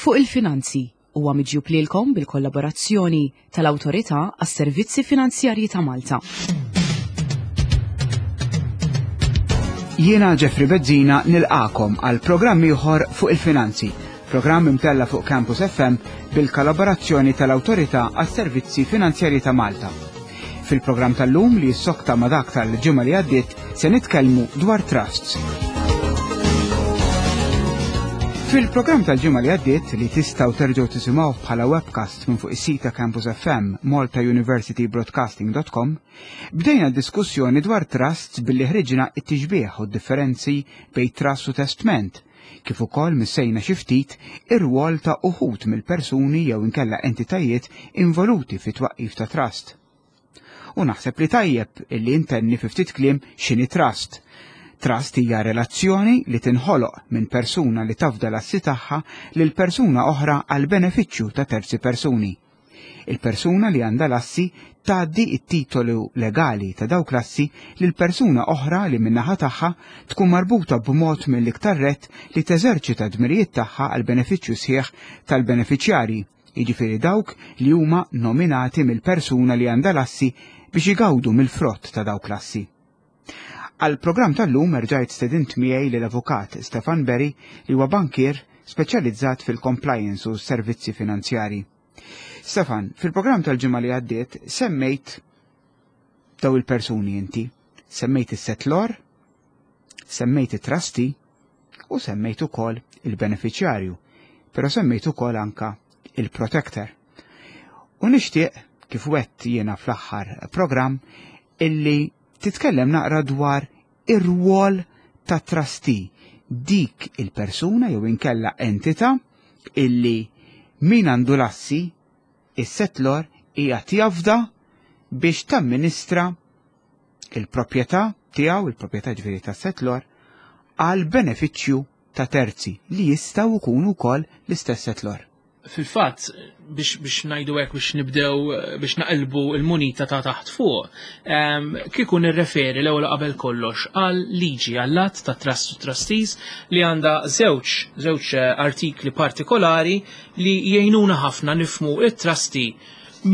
Fuq il-Finanzi huwa miġjub lilkom bil-kollaborazzjoni tal-Awtorità għas-Servizzi Finanzjarji ta' Malta. Jiena Jeffrey Bezzina nilqakom għal programm ieħor fuq il-finanzi, programm imtella fuq Campus FM bil-kollaborazzjoni tal-Awtorità għas-Servizzi Finanzjarji ta' Malta. Fil-programm tal-lum li jissokta ma' dak tal-ġimgħa li għaddiet se nitkellmu dwar trusts. Fil-programm tal-ġimgħa li għaddiet li tistgħu terġgħu tisimgħuh bħala webcast minn fuq is-sit ta' Campus FM maltauniversitybroadcasting.com, bdejna diskussjoni dwar trusts billi ħriġna it-tixbih u d-differenzi bejn trust u testment, kif ukoll missejna xi ftit ir-rwol ta' uħud mill-persuni jew inkella entitajiet involuti fit-twaqqif ta' trust. U naħseb li tajjeb illi intenni fi ftit kliem x'inhi trust. Trust hija relazzjoni li tinħoloq minn persuna li tafda l-assi tagħha lil persuna oħra għal benefiċċju ta' terzi persuni. Il-persuna li għandha l-assi tgħaddi t-titolu legali ta' dawk l-assi lil persuna oħra li min-naħa tagħha tkun marbuta b'mod mill-iktar rett li teżerċita d-dmirijiet tagħha għall-benefiċċju sħiħ tal-benefiċjarji jiġifieri dawk li huma nominati mill-persuna li għandha l-assi biex igawdu mill-frott ta' dawk l-assi. Għall-programm tal-lum erġajt stedint miegħi lill-Avukat Stefan Berry li huwa bankier speċjalizzat fil-compliance u s-servizzi finanzjarji. Stefan, fil-programm tal-ġimgħa li għaddiet semmejt daw il-persuni inti. Semmejt is-setlor, semmejt it-trustee u semmejt ukoll il-beneficjarju, però semmejt ukoll anka il-protector. U nixtieq kif wett jiena fl-aħħar programm illi titkellem naqra dwar ir-rwol ta' trustee, dik il-persuna jew inkella entità illi min għandu l-assi is-setlor qiegħed jafda biex tamministra il-proprjetà tiegħu, il-proprjetà ġifieri tas-setlor, għal benefiċċju ta' terzi li jistgħu jkunu wkoll l-istess setlor. Fil-fatt, biex, biex ngħidu hekk biex nibdew biex naqilbu l-munita ta' taħt fuq, kieku nirreferi l-ewwel qabel kollox għal liġi għall att ta' trust u trustees li għandha żewġ żewġ eh, artikli partikolari li jgħinuna ħafna nifmu it-trustee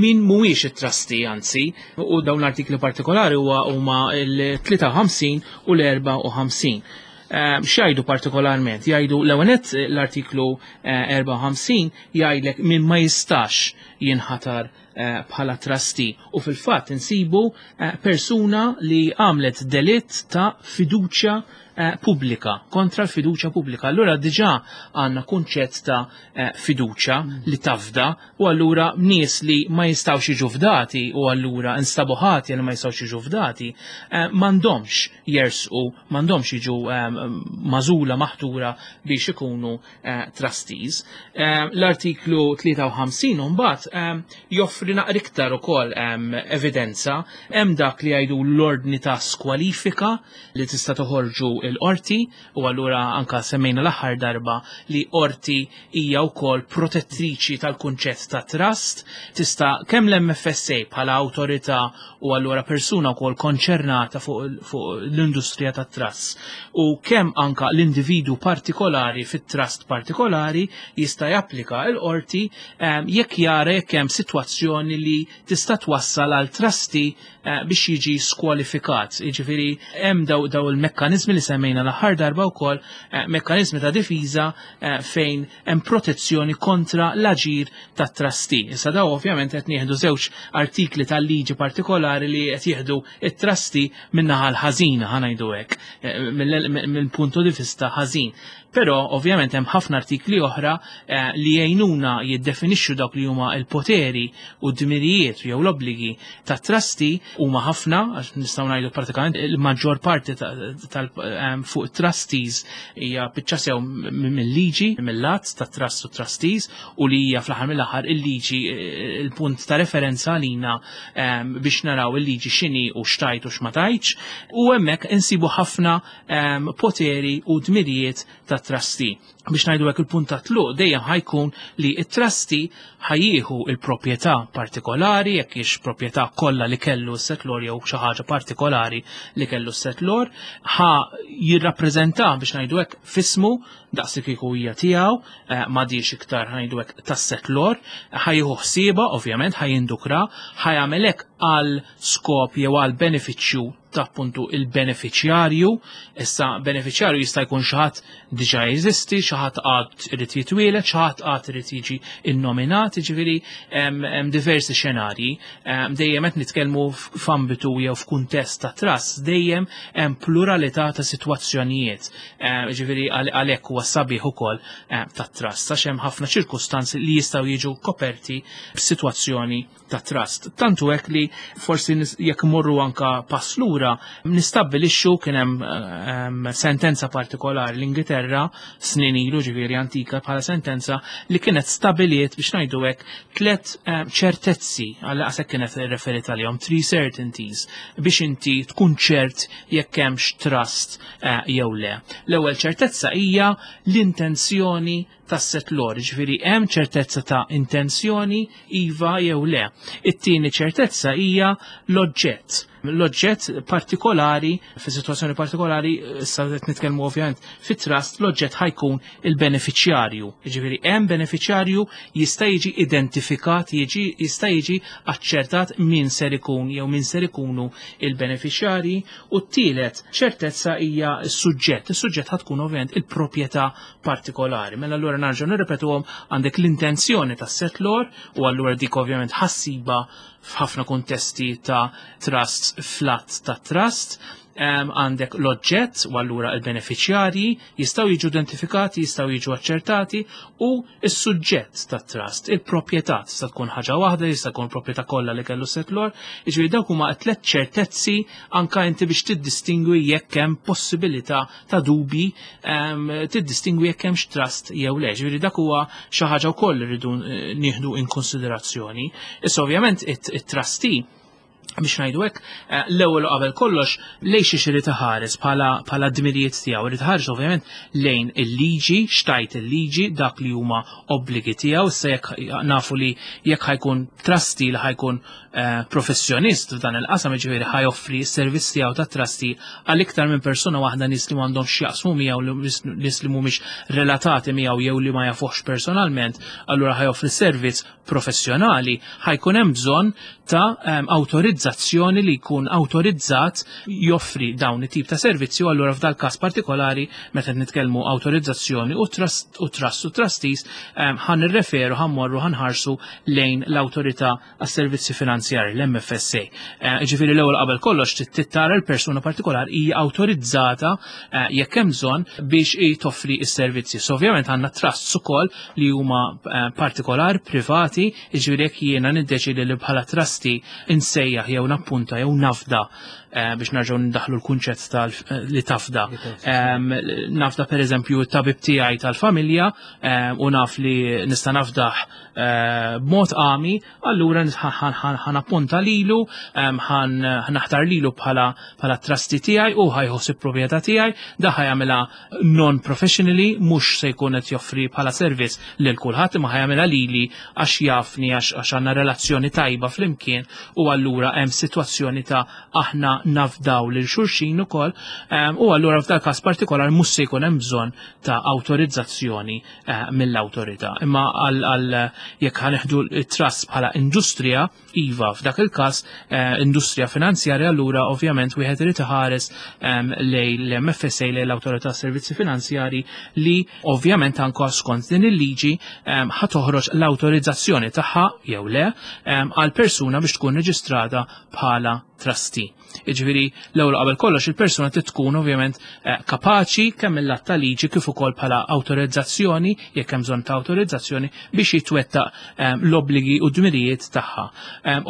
min mhuwiex it-trustee anzi, u dawn l-artikli partikolari huwa huma l-53 u l-54. Ehm, x'jgħidu partikolarment? Jgħidu l-ewwel l-artiklu 54 eh, jgħidlek min ma jistax jinħatar eh, bħala trustee u fil-fatt insibu eh, persuna li għamlet delitt ta' fiduċja pubblika, kontra l-fiduċja pubblika. Allura diġà għandna kunċett ta' fiduċja li tafda u allura nies li ma jistgħux jiġu fdati u allura instabu ħati li ma jistgħux jiġu fdati m'għandhomx jersqu, m'għandhomx jiġu magħżula maħtura biex ikunu eh, trustees. Eh, l-artiklu 53 mbagħad eh, joffri naqra iktar ukoll evidenza hemm dak li jgħidu l-ordni ta' skwalifika li tista' toħorġu l-qorti u allura anka semmejna l-aħħar darba li qorti hija wkoll protettriċi tal-kunċett ta' trust, tista' kemm l-MFSA bħala awtorità u allura persuna wkoll konċernata fuq fu l-industrija tat-trust u kemm anka l-individu partikolari fit-trust partikolari jista' japplika l-qorti ehm, jekk jara jekk hemm sitwazzjoni li tista' twassal għal trustee eh, biex jiġi skwalifikat. Jiġifieri hemm daw, daw il-mekkaniżmi li semmejna l-aħħar darba wkoll eh, mekkaniżmi ta' difiża eh, fejn hemm protezzjoni kontra l-aġir tat-trustee. Issa daw ovvjament qed nieħdu żewġ artikli tal-liġi partikolari li qed jieħdu it-trustee min-naħa l-ħażina ħa ngħidu hekk, mill-puntu di vista ħażin. Però ovvjament hemm ħafna artikli oħra eh, li jgħinuna jiddefinixxu dawk li huma l-poteri u d-dmirijiet jew l-obbligi ta' trustee huma ħafna, għax nistgħu ngħidu pratikament il-maġġor parti tal eh, fuq trustees hija biċċa sew mill-liġi, mill-att ta' trust u trustees u li hija fl-aħħar mill-aħħar il-liġi eh, il-punt ta' referenza għalina biex naraw il-liġi x'inhi u x'tajt u x'ma tajtx u hemmhekk insibu ħafna poteri u dmirijiet ta' trustee. Biex ngħidu hekk, il-punt ta' tluq dejjem ħa jkun li it-trustee ħa jieħu il-proprjetà partikolari, jekk hix proprjetà kollha li kellu s-settlor jew xi ħaġa partikolari li kellu s-settlor, ħa jirrappreżenta, biex ngħidu hekk, f'ismu, daqs li kieku hija tiegħu, m'għadix iktar, ħa ngħidu hekk, tas-settlor, ħa jieħu ħsiebha ovvjament, ħa jindukra, ħa jagħmel hekk għal skop jew għal benefiċċju ta' appuntu il-beneficjarju. Issa, beneficjarju jista' jkun xi ħadd diġà jeżisti, xi ħadd għad irid jitwielet, xi ħadd għad irid jiġi innominat, jiġifieri hemm diversi xenarji. Dejjem qed nitkellmu f'ambitu jew f'kuntest ta' trust, dejjem hemm pluralità ta' sitwazzjonijiet. Jiġifieri għalhekk huwa sabiħ ukoll ta' trust, għax hemm ħafna ċirkustanzi li jistgħu jiġu koperti b'sitwazzjoni ta' trust. Tantu hekk li forsi jekk morru anka pass lura nistabbilixxu kien hemm sentenza partikolari l-Ingilterra snin ilu, ġifieri antika bħala sentenza, li kienet stabiliet, biex ngħidu hekk, tliet ċertezzi, għal għasek kienet referit għalihom, three certainties, biex inti tkun ċert jekk hemmx trust jew le. L-ewwel ċertezza hija l-intenzjoni tas-settlor, ġifieri hemm ċertezza ta' intenzjoni, iva jew le. It-tieni ċertezza hija l-oġġett. L-oġġett partikolari, fi situazzjoni partikolari, issa qed nitkellmu ovvjament fit-trust, l-oġġett ħa jkun il-beneficjarju. Ġifieri hemm beneficjarju jista' jiġi identifikat, jiġi jista' jiġi aċċertat min ser ikun jew min ser ikunu il-beneficjarji, u t-tielet ċertezza hija s-suġġett. Is-suġġett ħa tkun ovvjament il-proprjetà partikolari. Mela allura narġgħu nirripetuhom: għandek l-intenzjoni tas-settlor, u allura dik ovvjament ħa ssibha f'ħafna kuntesti ta' trusts, fl-att ta' trust, għandek l-oġġett u allura il-beneficjarji jistgħu jiġu identifikati, jistgħu jiġu aċċertati, u s-suġġett ta' trust, il-proprjetà tista' tkun ħaġa waħda, jista' tkun proprjetà kollha li kellu settlor, jiġifieri dawk huma tliet ċertezzi anka inti biex tiddistingwi jekk hemm possibilità ta' dubi, tiddistingwi jekk hemmx trust jew le. Ġifieri dak huwa xi ħaġa wkoll li rridu nieħdu in konsiderazzjoni. Issa ovvjament it-trustee, biex ngħidu hekk, l-ewwel u qabel kollox lejn xi irid iħares bħala dmirijiet tiegħu? Irid iħares ovvjament lejn il-liġi, x'tgħid il-liġi, dak li huma obbligi tiegħu. Issa jekk nafu li jekk ħa jkun trustee li ħa jkun professjonist f'dan il-qasam, jiġifieri ħa joffri s-servizz tiegħu ta' trustee għal iktar minn persuna waħda, nies li m'għandhom x'jaqsmu miegħu, nies li mhumiex relatati miegħu jew li ma jafuhx personalment, allura ħa joffri servizz professjonali, ħa jkun hemm bżonn ta' awtorizzazzjoni, li jkun awtorizzat joffri dawn it-tip ta' servizzi, u allura f'dal każ partikolari, meta nitkellmu awtorizzazzjoni u trust u trustees, ħa nirreferu, ħa mmorru, ħa nħarsu lejn l-Awtorità għas-Servizzi Finanzjari, l-MFSA. Ġifieri l-ewwel qabel kollox trid tara l-persuna partikolari hija awtorizzata jekk hemm bżonn biex toffri s-servizzi. So ovvjament għandna trusts ukoll li huma partikolari, privati, jiġifieri jekk jiena niddeċidi li bħala trustee insejjaħ jew nappunta jew nafda, biex nerġgħu ndaħlu l-kunċett tal li tafda. Nafda per eżempju t-tabib tiegħi tal-familja u naf li nista' nafdah b'mod għami, allura ħa nappunta lilu, ħa naħtar lilu bħala trustee tiegħi u ħa jieħu proprjetà tiegħi, da ħa jagħmilha non-professionally, mhux se jkun qed joffri bħala servizz lil kulħadd, imma ħa jagħmilha lili għax jafni, għax għandna relazzjoni tajba flimkien, u allura hemm sitwazzjoni ta' aħna nafdaw lil xulxin ukoll, u allura f'dal każ partikolar mhux se jkun hemm bżonn ta' awtorizzazzjoni mill-awtorità. Imma għal jekk ħa nieħdu trust bħala industrija, iva, f'dak il-każ industrija finanzjarja, allura ovvjament wieħed irid iħares lejn l-MFSA, lejn l-Awtorità Servizzi Finanzjari, li ovvjament anka skont din il-liġi ħa toħroġ l-awtorizzazzjoni tagħha jew le għal persuna biex tkun reġistrata bħala trustee. Jiġifieri l-ewwel qabel kollox il-persuna trid tkun ovvjament kapaċi kemm mill-att ta' liġi kif ukoll bħala awtorizzazzjoni, jekk hemm bżonn ta' awtorizzazzjoni, biex jitwettaq l-obbligi u dmirijiet tagħha.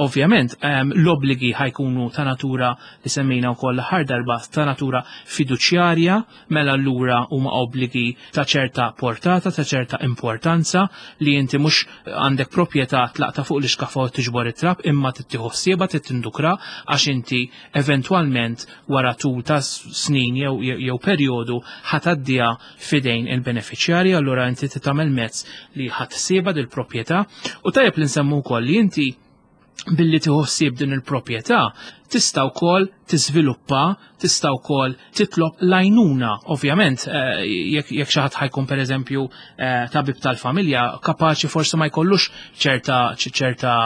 Ovvjament l-obbligi ħa jkunu ta' natura li semmejna wkoll l-aħħar darba, ta' natura fiduċjarja, mela allura huma obbligi ta' ċerta portata, ta' ċerta importanza, li inti mhux għandek proprjetà tlaqta fuq l-iskaffa u tiġbor it-trab, imma trid tieħu ħsiebha, tindukra għax inti eventwalment wara tul ta' snin jew perjodu ħa tgħaddiha f'idejn il-benefiċjarji, allura inti tagħmel mezz li ħa ssibha dil-proprjetà. U tajjeb li nsemmu wkoll li inti billi tieħu ħsieb din il-proprjetà tista' wkoll tiżviluppa, tista' wkoll titlob l-għajnuna. Ovvjament, jekk xi ħadd ħa jkun pereżempju tabib tal-familja, kapaċi forsi ma jkollux ċerta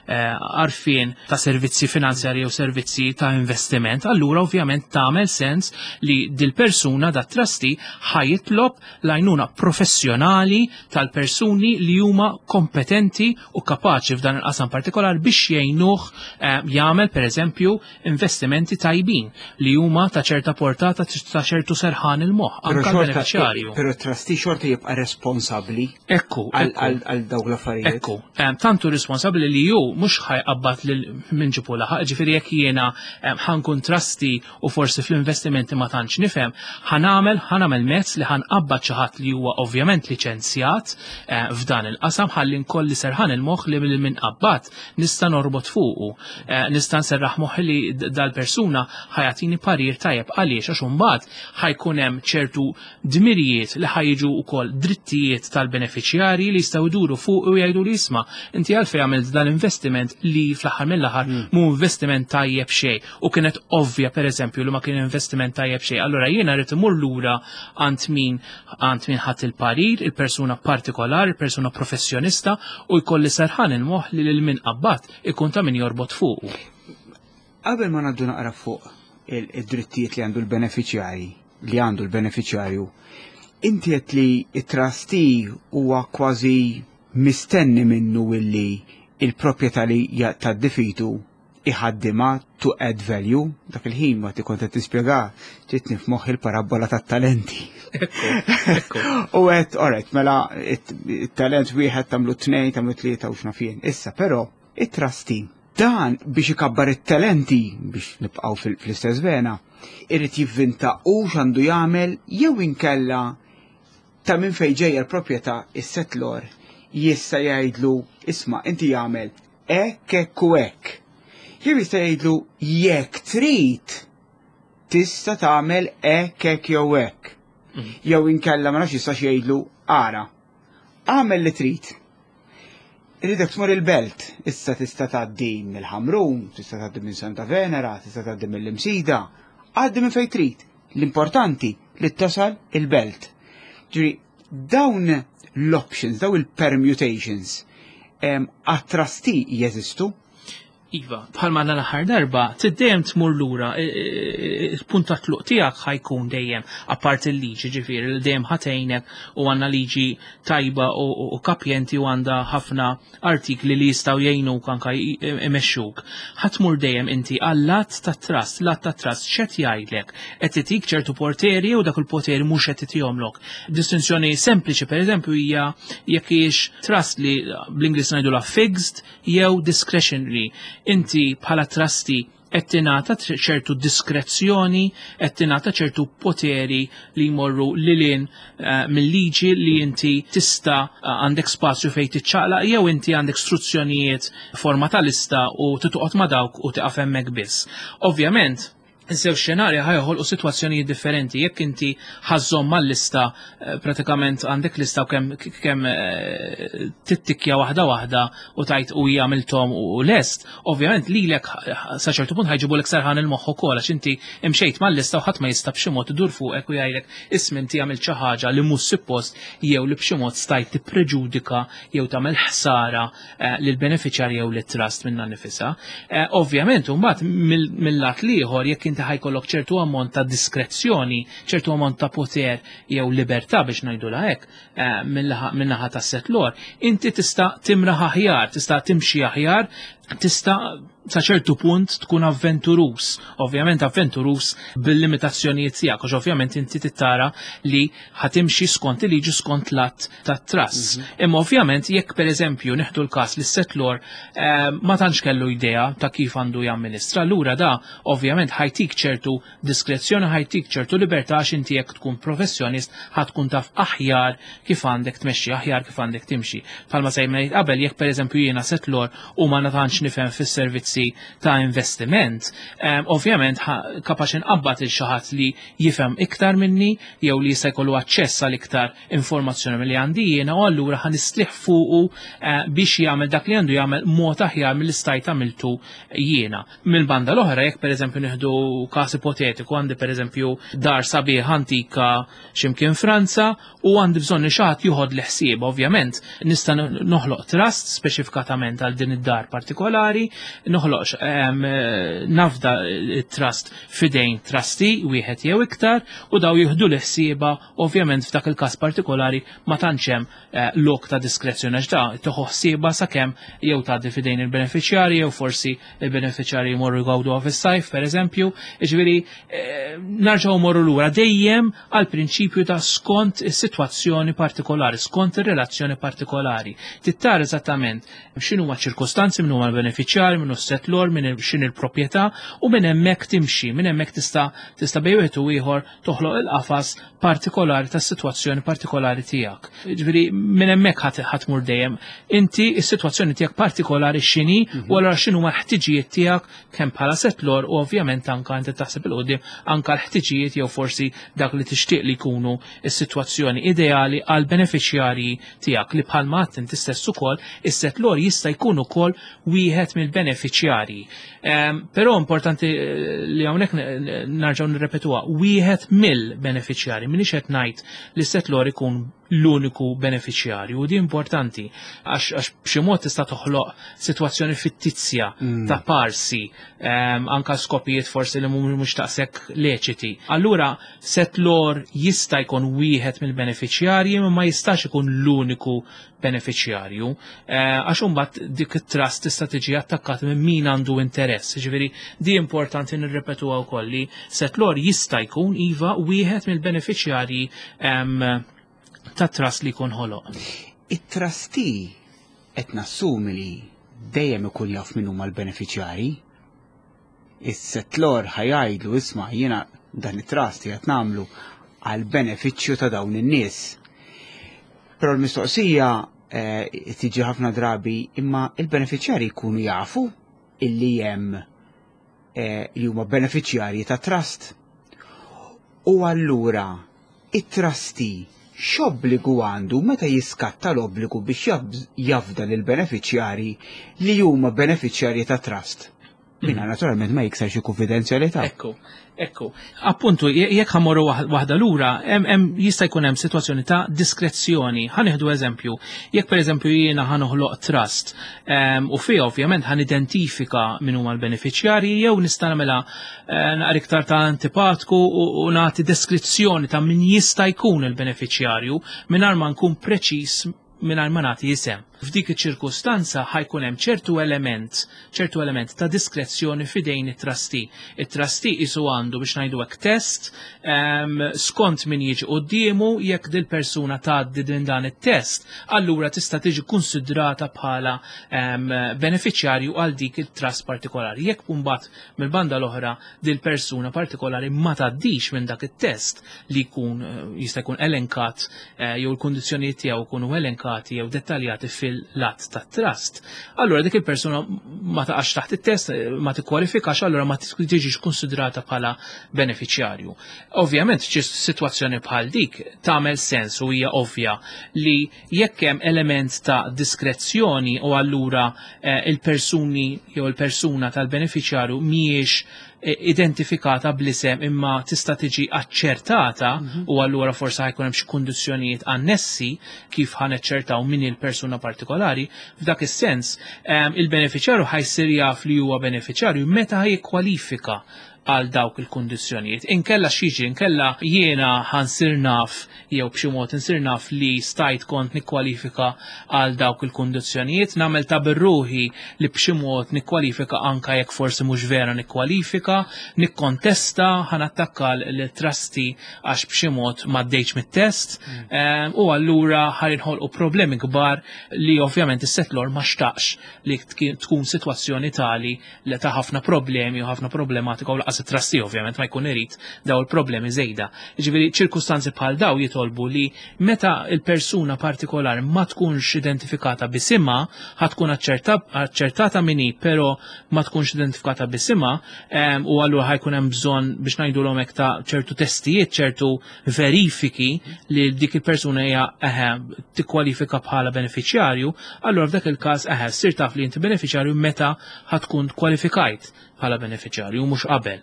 għarfien ta' servizzi finanzjarji u servizzi ta' investiment, allura ovvjament tagħmel sens li dil-persuna, dat trustee, ħa jitlob l-għajnuna professjonali tal-persuni li huma kompetenti u kapaċi f'dan il-qasam partikolar biex jgħinuh jagħmel pereżempju investimenti tajbin li huma ta' ċerta portata, ta' ċertu serħan il-moħħ anke l-beneficjarju. Però trustee xorta jibqa' responsabbli għal dawk l-affarijiet. Ekku, tantu responsabbli li hu mhux ħa jqabbad lil min ġibu laħaq, ġifieri jekk jiena ħa nkun trustee u forsi fl-investimenti ma tantx nifhem, ħa nagħmel mezz li ħa nqabbad xi ħadd li huwa ovvjament liċenzjat f'dan il-qasam ħalli nkolli serħan il-moħħ li minn qabbat nista' norbot fuqu. Nista' nserraħ moħħi li dal-persuna ħa jagħtini parir tajjeb. Għaliex? Għax imbagħad ħa jkun hemm ċertu dmirijiet li ħa jiġu wkoll drittijiet tal-beneficjarji li jistgħu jduru fuq u jgħidu li isma', inti għalfejn għamilt dan investiment li fl-aħħar mill-aħħar mhu investiment tajjeb xejn u kienet ovvja pereżempju li ma kien investiment tajjeb xejn? Allura jiena rrid imur lura għand min ħadd il-parir, il-persuna partikolari, il-persuna professjonista, u jkolli serħan il-moħħ li lil min qabbat ikun ta' min jorbot fuqu. Qabel ma ngħaddu naqra fuq id-drittijiet li għandu l-beneficjari, li għandu l-beneficjarju, inti qed li it-trustee huwa kważi mistenni minnu illi il-proprjetà li tad-difitu iħaddima to add value. Dak il-ħin ma kont qed tispjega ġietni f'moħħi il-parabola tat-talenti. U għedt, alright, mela it-talent wieħed tagħmlu tnejn, tagħmlu tlieta u x'naf jien. Issa però it-trustee dan biex ikabbar it-talenti, biex nibqgħu fl-istess vena, irid jivvinta u x'għandu jagħmel jew inkella ta' minn fejn ġejja l-proprjetà, is-settlor jista' jgħidlu: "Isma', inti jagħmel hekk, hekk u hekk"? Jew jista' jgħidlu: "Jekk trid tista' tagħmel hekk, hekk jew hekk"? Jew inkella ma nafx jistax jgħidlu: "Ara, agħmel li trid. Irridek tmur il-belt, issa tista' tgħaddi mill-Ħamrun, tista' tgħaddi minn Santa Venera, tista' tgħaddi mill-Imsida, għaddi minn fejn trid. L-importanti li tasal il-belt." Ġifieri, dawn l-options, dawn il-permutations, għat-trustee jeżistu? Iva, bħalma l-aħħar darba, dejjem tmur lura, il-punt ta' tluq tiegħek ħa jkun dejjem, apart il-liġi, ġifieri, li dejjem ħa tgħinek u għandna liġi tajba u kapjenti u għandha ħafna artikli li jistgħu jgħinuk anka imexxuk. Ħa tmur dejjem inti għall-att ta' trust, l-att ta' trust x'qed jgħidlek? Qed itik ċertu poteri u dak il-poteri mhux qed itihomlok? Distinzjoni sempliċi pereżempju hija jekk hijiex trust li bl-Ingliż ngħidulha fixed jew discretionary. Inti bħala trustee qed tingħata ċertu diskrezzjoni, qed tingħata ċertu poteri li jmorru lilin mill-liġi li inti tista' għandek spazju fejn tiċċaqlaq jew inti għandek struzzjonijiet forma ta' lista u titoqgħod ma' dawk u tiqaf hemmhekk biss. Ovvjament, żewġ xenarji ħa joħolqu sitwazzjonijiet differenti. Jekk inti ħa żżomm mal-lista, pratikament għandek lista u kemm tittikja waħda waħda u tajt u għamilthom u lest, ovvjament lilek sa ċertu punt ħa jġibulek serħan il-moħħ ukoll għax inti imxejt mal-lista u ħadd ma jista' b'xi mod idur fuqek u jgħidlek: "Isma', inti għamilt xi ħaġa li mhux suppost jew li b'xi mod stajt tippreġudika jew tagħmel ħsara lil beneficjarji jew lit trust minnha nifisha." Ovvjament, mbagħad mill-lat l-ieħor, jekk inti ħa jkollok ċertu ammont ta' diskrezzjoni, ċertu ammont ta' poter jew libertà biex ngħidulha hekk min-naħa ta' settlor, inti tista' timraħ aħjar, tista' timxi aħjar, tista' sa ċertu punt tkun avventurus. Ovvjament avventurus bil-limitazzjonijiet tiegħek, għax ovvjament inti tittara li ħa timxi skont il-liġi, skont l-att ta' trust. Imma ovvjament jekk pereżempju nieħdu l-każ li settlor ma tantx kellu idea ta' kif għandu jamministra, allura da ovvjament ħa jtik ċertu diskrezzjoni, ħa jtik ċertu libertà, għax inti jekk tkun professjonist ħa tkun taf aħjar kif għandek tmexxi, aħjar kif għandek timxi. Bħalma semmejt qabel, jekk pereżempju jiena settlor u ma tantx nifhem fis-servizzi forsi ta' investiment, ovvjament kapaċi nqabbad il xi ħadd li jifhem iktar minni jew li jista' jkollu aċċess għal iktar informazzjoni milli għandi jiena u allura ħa nistrieħ fuqu biex jagħmel dak li għandu jagħmel mod aħjar milli stajt għamiltu jiena. Mill-banda l-oħra, jekk pereżempju nieħdu każ ipotetiku, għandi pereżempju dar sabiħ antika x'imkien Franza u għandi bżonn li xi ħadd joħodli ħsieb, ovvjament nista' noħloq trust speċifikatament għal din id-dar partikolari, noħloq nafda trust fidejn trustee wieħed jew iktar u daw jieħdu l-ħsieba. Ovvjament f'dak il-każ partikolari ma tantx hemm lok ta' diskrezzjoni għax da tieħu ħsiebha sakemm jew tgħaddi fidejn il-beneficjarji jew forsi il-beneficjarji jmorru jgawduha fis-sajf pereżempju. Jiġifieri narġgħu morru lura dejjem għal prinċipju ta' skont is-sitwazzjoni partikolari, skont ir-relazzjoni partikolari. Tittar eżattament x'inhuma ċirkostanzi, min huma l-beneficjarji, min hu settlor, min x'in il-proprjetà u minn hemmhekk timxi, minn hemmhekk tista' bejn wieħed u ieħor toħloq il-qafas partikolari tas-sitwazzjoni partikolari tiegħek. Ġifieri minn hemmhekk ħadd tmur dejjem. Inti is-sitwazzjoni tiegħek partikolari x'inhi u allura x'inhuma l-ħtiġijiet tiegħek kemm bħala settlor u ovvjament anka inti taħseb 'il quddiem anka l-ħtiġijiet jew forsi dak li tixtieq li jkunu s-sitwazzjoni ideali għal beneficjarji tiegħek li bħalma għedt inti stess ukoll is-settlor jista' jkun ukoll wieħed mill-beneficjarji. Però importanti li hawnhekk narġgħu nirrepetuha, wieħed mill-beneficjarji, m'iniex qed ngħid li settlor ikun l-uniku beneficjarju, u di importanti għax b'xi mod tista' toħloq sitwazzjoni fittizja ta' parsi anka skopijiet forsi li mhux taqsek leċiti. Allura settlor jista' jkun wieħed mill-beneficjarji ma jistax ikun l-uniku beneficjarju, għax imbagħad dik it-trust tista' tiġi attakkat minn min għandu interess. Ġifieri di importanti nirrepetuha wkoll li settlor jista' jkun iva wieħed mill-beneficjarji ta' trust li jkun ħoloq. It-trustee qed nassumi li dejjem ikun jaf min huma l-beneficjarji. Is-settlor ħa jgħidlu, "Isma', jiena dan it-trust qed nagħmlu għal benefiċċju ta' dawn in-nies." Però l-mistoqsija tiġi ħafna drabi, imma il-beneficjarji jkunu jafu illi hemm li huma beneficjarji ta' trust. U allura it-trustee x'obbligu għandu meta jiskatta l-obbligu biex jafda lil beneficjarji li huma beneficjarji ta' trust? Minna naturalment ma jikser xi konfidenzjalità. Ekku. Appuntu, jekk ħa mmorru waħda lura, jista' jkun hemm sitwazzjoni ta' diskrezzjoni. Ħa nieħdu eżempju. Jekk pereżempju jiena ħa noħloq trust u fih ovvjament ħa nidentifika min huma l-beneficjarji jew nista' nagħmilha naqra iktar ta' antipatku u nagħti deskrizzjoni ta' min jista' jkun il-beneficjarju mingħajr ma nkun preċiż, mingħajr ma nagħti isem. F'dik iċ-ċirkustanza ħa jkun hemm ċertu element ta' diskrezzjoni fidejn it-trustee. It-trustee isu għandu biex ngħidu hekk test skont min jiġi quddiemu. Jekk dil-persuna tgħaddi din dan it-test, allura tista' tiġi konsidrata bħala beneficjarju għal dik il-trust partikolari. Jekk mbagħad mill-banda l-oħra dil-persuna partikolari ma tgħaddix minn dak it-test li jkun jista' jkun elenkat jew il-kundizzjonijiet tiegħu jkunu elenkati jew dettaljati fil-lat tat-trust, allura dik il-persuna ma taqax taħt it-test, ma tikkwalifikax, allura ma tiġix konsidrata bħala beneficjarju. Ovvjament, ċi sitwazzjoni bħal dik tagħmel sens u hija ovvja li jekk hemm element ta' diskrezzjoni u allura il-persuni jew il-persuna tal-beneficjarju mhijiex identifikata bl-isem imma tista' tiġi aċċertata u allura forsi ħa jkun hemm xi kundizzjonijiet annessi kif ħa neċċertaw min il-persuna partikolari, f'dak is-sens il-beneficjarju ħa jsir jaf li huwa beneficjarju meta ħa jikkwalifika għal dawk il-kundizzjonijiet. Inkella x'jiġi, inkella jiena ħa nsir naf jew b'xi mod insir naf li stajt kont nikkwalifika għal dawk il-kundizzjonijiet, nagħmel ta' birruħi li b'xi mod nikkwalifika anka jekk forsi mhux vera nikkwalifika, nikkontesta, ħa nattakka l-trustee għax b'xi mod m'għaddejtx mit-test u allura ħa jinħolqu problemi kbar li ovvjament is-settlor ma xtaqx li tkun sitwazzjoni tali li ta' ħafna problemi u ħafna problematika u laqas Lanqas it-trustee ovvjament ma jkun irid daw il-problemi żejda. Jiġifieri ċirkustanzi bħal daw jitolbu li meta il-persuna partikolari ma tkunx identifikata bisimha, ħa tkun aċċertata min hi, però ma tkunx identifikata bisimha, u allura ħa jkun hemm bżonn biex ngħidulhom hekk ta' ċertu testijiet, ċertu verifiki li dik il-persuna hija eħe tikkwalifika bħala benefiċjarju, allura f'dak il-każ eħe ssir taf li inti benefiċjarju meta ħa tkun kwalifikajt bħala benefiċjarju mhux qabel.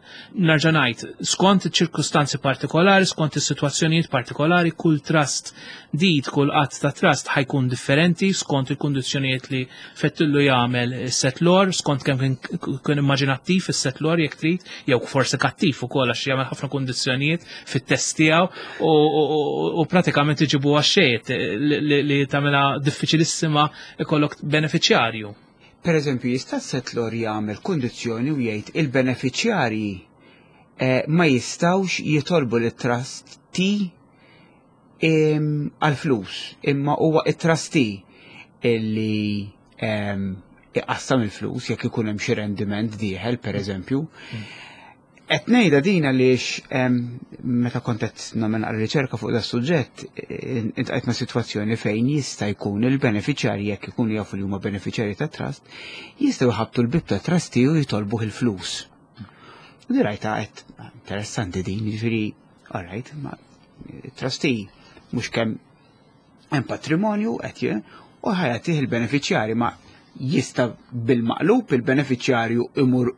Nerġa' ngħid, skont iċ-ċirkustanzi partikolari, skont is-sitwazzjonijiet partikolari, kull trust deed, kull att ta' trust ħa jkun differenti skont il-kundizzjonijiet li fettillu jagħmel is-settlor, skont kemm kien immaġinattiv is-settlor jekk trid, jew forsi kattiv ukoll għax jagħmel ħafna kundizzjonijiet fit-test tiegħu u pratikament iġibu għax-xejn li tagħmilha diffiċilissima ikollok benefiċjarju. Per eżempju, jista' settlor jagħmel kundizzjoni u jgħid il-benefiċjarji ma jistgħux jitolbu lit-trustee għal-flus, imma huwa it-trustee illi iqassam il-flus jekk ikun hemm xi rendiment dieħel, per eżempju. Qed ngħidha din għaliex meta kont qed nagħmel riċerka fuq da suġġett iltqajt ma' sitwazzjoni fejn jista' jkun il-benefiċjarji, jekk ikunu jafu li huma benefiċjarji ta' trust, jistgħu jħabbtu l-bib ta' trustee u jitolbuh il-flus. U di rajta qed interessanti din, jiġifieri, all right, ma trustee mhux kemm hemm patrimonju qed u ħa jagħtih il-benefiċjarji, ma jista' bil-maqlub il-benefiċjarju imur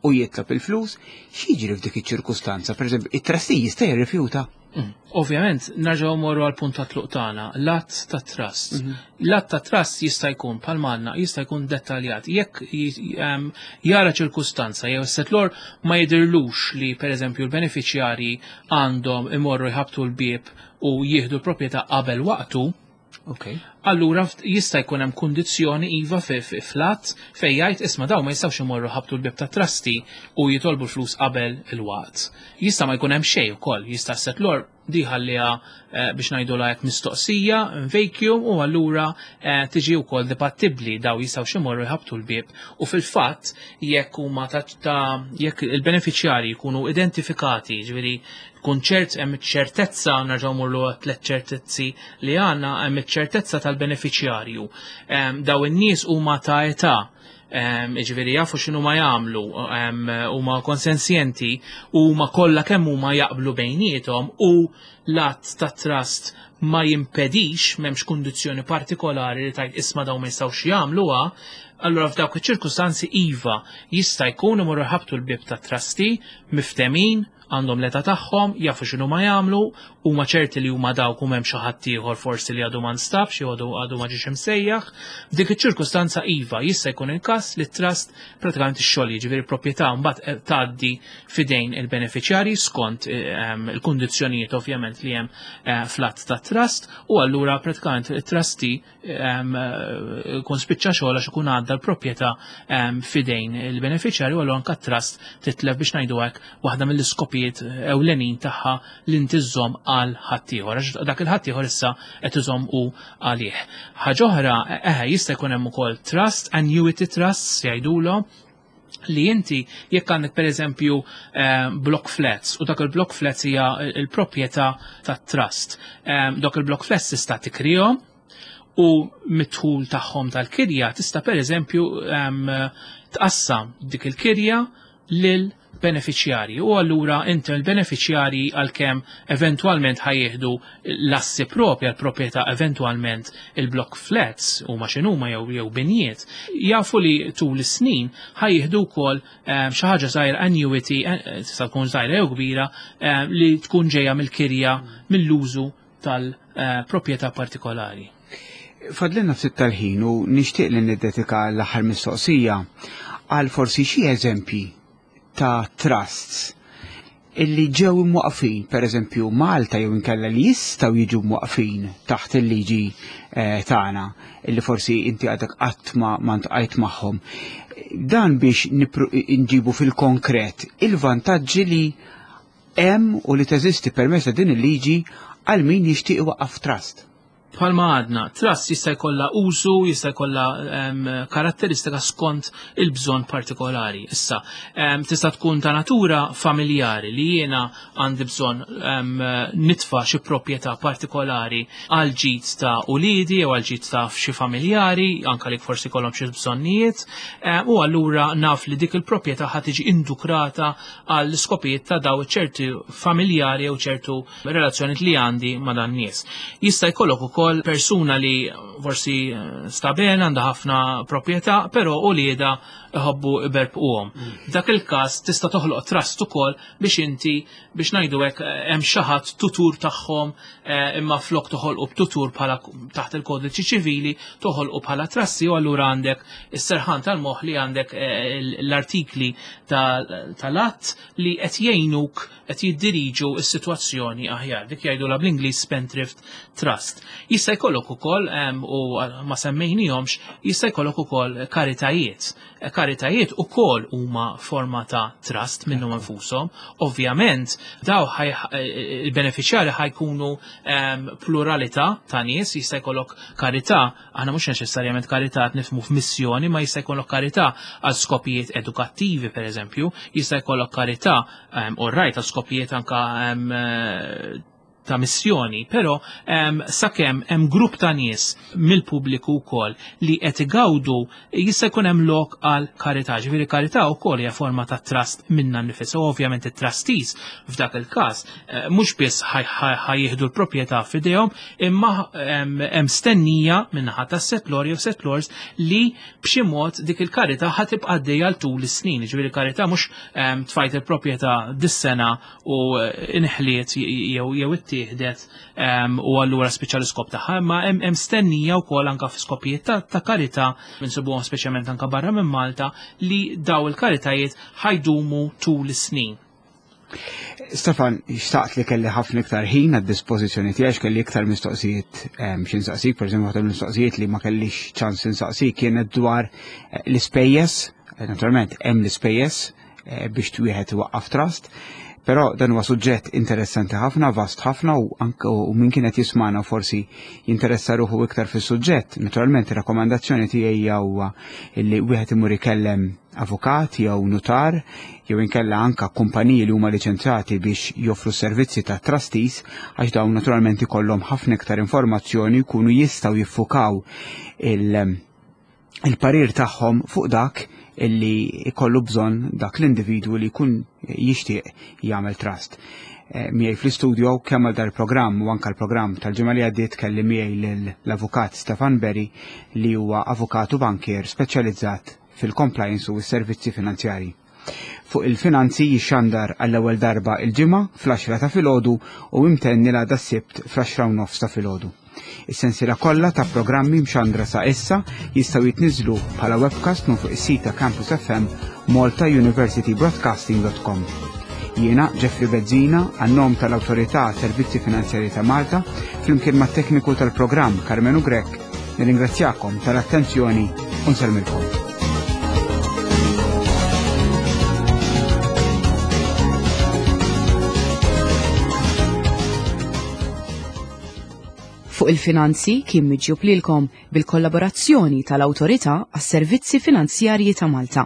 u jitlob il-flus, x'jiġri f'dik iċ-ċirkustanza? Per eżempju, it-trustee jista' jirrifjuta? Ovvjament, nerġgħu morru għal punt ta' tluq tagħna, l-att ta' trust. L-att ta' trust jista' jkun bħal manna, jista' jkun dettaljat. Jekk jara ċirkustanza jew settlor ma jidirlux li pereżempju l-benefiċjarji għandhom imorru jħabtu l-bieb u jieħdu l-proprjetà qabel waqtu, allura jista' jkun hemm kundizzjoni iva fi flat fejn jgħid, isma', daw ma jistgħux imorru ħabtu l-bib ta' trustee u jitolbu l-flus qabel il-waqt. Jista' ma jkun hemm xejn ukoll, jista' settlor di ħalliha biex ngħidu hekk mistoqsija, vacuum, u allura tiġi wkoll dibattibbli daw jistgħu imorru jħabtu l-bieb. U fil-fatt jekk huma ta' jekk il-benefiċjarji jkunu identifikati, ġifieri kun ċert, hemm ċertezza, nerġgħu morru tliet ċertezzi li għandna, hemm ċertezza tal-benefiċjarju. Daw in-nies huma ta' età, ġifieri jafu x'inhu ma jagħmlu, huma konsensjenti u ma kollha kemm huma jaqblu bejniethom u l-att ta' trust ma jimpedix, m'hemmx kundizzjoni partikolari li tgħid, isma', daw ma jistgħux jagħmluha, allura f'dawk iċ-ċirkustanzi iva jista' jkun imorru ħabtu l-bib ta' trustee miftemin, għandhom l-età tagħhom, jafu x'inhu ma jagħmlu, huma ċerti li huma dawk u m'hemm xi ħadd ieħor forsi li għadu ma nstabx jew għadu ma ġiex imsejjaħ. F'dik iċ-ċirkustanza iva jista' jkun il-każ li trust pratikament ix-xogħol, jiġifieri proprjetà mbagħad tgħaddi fidejn il-benefiċjarji skont il-kundizzjonijiet ovvjament li hemm fl-att ta' trust, u allura pratikament it-trustee kun spiċċa xogħol għax ikun għadda l-proprjetà fidejn il-benefiċjarju, u allura anke trust titlef, biex ngħidu hekk, waħda mill-iskopijiet ewlenin tagħha li ntiżżomm għal ħaddieħor, għax dak il-ħaddieħor issa qed iżomm u għalih. Ħaġa oħra, eħe, jista' jkun hemm ukoll trust, annuity trusts jgħidulhom, li inti jekk għandek per eżempju block flats u dak il-block flats hija il-proprjetà tat-trust. Dak il-block flats tista' tikrihom u mid-dħul tagħhom tal-kirja tista' per eżempju tqassam dik il-kirja lil benefiċjarji, u allura inti l-benefiċjarji, għalkemm eventwalment ħa jieħdu l-assi propja, l-proprjetà, eventwalment il-block flats huma x'inhuma jew binjiet, jafu li tul is-snin ħa jieħdu wkoll xi ħaġa żgħira, annuity, tista' tkun żgħira jew kbira, li tkun ġejja mill-kirja, mill-użu tal-proprjetà partikolari. Fadlilna ftit tal-ħin u nixtieq li niddedika l-aħħar mistoqsija għal forsi xi eżempji ta' trusts illi ġew imwaqfin, per eżempju Malta, jew inkella li jistgħu jiġu mwaqfin taħt il-liġi tagħna illi forsi inti għadek qatt ma ltqajt magħhom. Dan biex nġibu fil-konkret il-vantaġġi li hemm u li teżisti permezz ta' din il-liġi għal min jixtieq iwaqqaf trust. Bħalma għadna, trust jista' jkollha użu, jista' jkollha karatteristika skont il-bżonn partikolari. Issa, tista' tkun ta' natura familjari li jiena għandi bżonn nitfa' xi proprjetà partikolari għal ġid ta' uliedi jew għal ġid ta' xi familjari, anka li forsi kollhom xi bżonnijiet, u allura naf li dik il-proprjetà ħa tiġi indukrata għal skopijiet ta' daw ċerti familjari jew ċertu relazzjoni li għandi ma' dan nies. Jista' jkollok ukoll persuna li forsi eh, stabena għandha ħafna proprjetà, però ulieda iħobbu iberbquhom. Dak il-każ tista' toħloq trust ukoll biex inti biex ngħidu hekk eh, hemm xi ħadd tutur tagħhom eh, imma flok toħolqu b'tutur bħala taħt il-kodiċi ċivili toħolqu bħala trassi u allura għandek is-serħan tal-moħħ li għandek eh, l-artikli tal-att li qed jgħinuk qed jiddiriġu s-sitwazzjoni aħjar. Dik jgħidulha bl-Ingliż Spendthrift Trust. Jista' jkollok ukoll u ma semmejnihomx, jista' jkollok ukoll karitajiet. Karitajiet ukoll huma forma ta' trust minnhom infushom. Ovvjament daw il-benefiċjarji ħajkunu pluralità ta' nies, jista' jkollok karità, aħna mhux neċessarjament karità qed nifhmu f'missjoni, ma jista' jkollok karità għal skopijiet edukattivi pereżempju, jista' jkollok karità all right għal skopijiet anka ta' missjoni, però sakemm hemm grupp ta' nies mill-pubbliku wkoll li qed igawdu jista' jkun hemm lok għal karità. Ġifieri karità wkoll hija forma ta' trust minna nnifisha. Ovvjament it-trustees f'dak il-każ eh, mhux biss ħajjieħdu l-proprjetà f'idejhom, imma hemm stennija min-naħa tas-setlor jew setlors li b'xi mod dik il-karità ħa tibqa' għaddejja għal tul is-snin. Ġifieri karità mhux tfajt il-proprjetà dis-sena u inħliet jew jew ittieħdet u allura spiċċa l-iskop tagħha, imma hemm stennija wkoll anke f'skopijiet ta' karità insibuhom speċjalment anke barra minn Malta li daw il-karitajiet ħajdumu tul is-snin. Stefan, xtaqt li kelli ħafna iktar ħin għad dispożizzjoni tiegħek kelli iktar mistoqsijiet xi nsaqsik, pereżempju waħda mistoqsijiet li ma kellix ċans insaqsik kienet dwar eh, l-ispejjeż, eh, naturalment hemm l-ispejjeż eh, biex wieħed iwaqqaf trust, però dan huwa suġġett interessanti ħafna, vast ħafna u anke u min kienet jismana forsi jinteressa ruħu iktar fis-suġġett. Naturalment ir-rakkomandazzjoni tiegħi huwa li wieħed imur ikellem avukat jew nutar jew inkella anka kumpaniji li huma liċenzjati biex joffru servizzi ta' trustees għax dawn naturalment ikollhom ħafna iktar informazzjoni jkunu jistgħu jiffukaw il- il-parir tagħhom fuq dak illi ikollu bżonn dak l-individwu li jkun jixtieq jagħmel trust. Eh, miegħi fl-istudio kemm għal dal-programm u anke l-programm tal-ġimgħa li għaddiet kelli miegħi l-avukat Stefan Berry li huwa avukat u bankier speċjalizzat fil-compliance u s-servizzi finanzjarji. Fuq il-finanzi jixxandar għall-ewwel darba il-ġimgħa fl-10 ta' filgħodu u imtenni l-għada s-Sibt fl-10 u nofs ta' filgħodu. Is-sensiela kollha ta' programmi mxandra sa' issa jistgħu jitniżlu bħala webcast minn fuq is-sit ta' Campus FM maltauniversitybroadcasting.com. Jiena Jeffrey Bezzina għan-nom tal-Awtorità Servizzi Finanzjarji ta' Malta flimkien mat-tekniku tal-programm Karmenu Grech nirringrazzjakom tal-attenzjoni u nsellmilkom. Fuq il-finanzi kien miġjub lilkom bil-kollaborazzjoni tal-Awtorità għas-Servizzi Finanzjarji ta' Malta.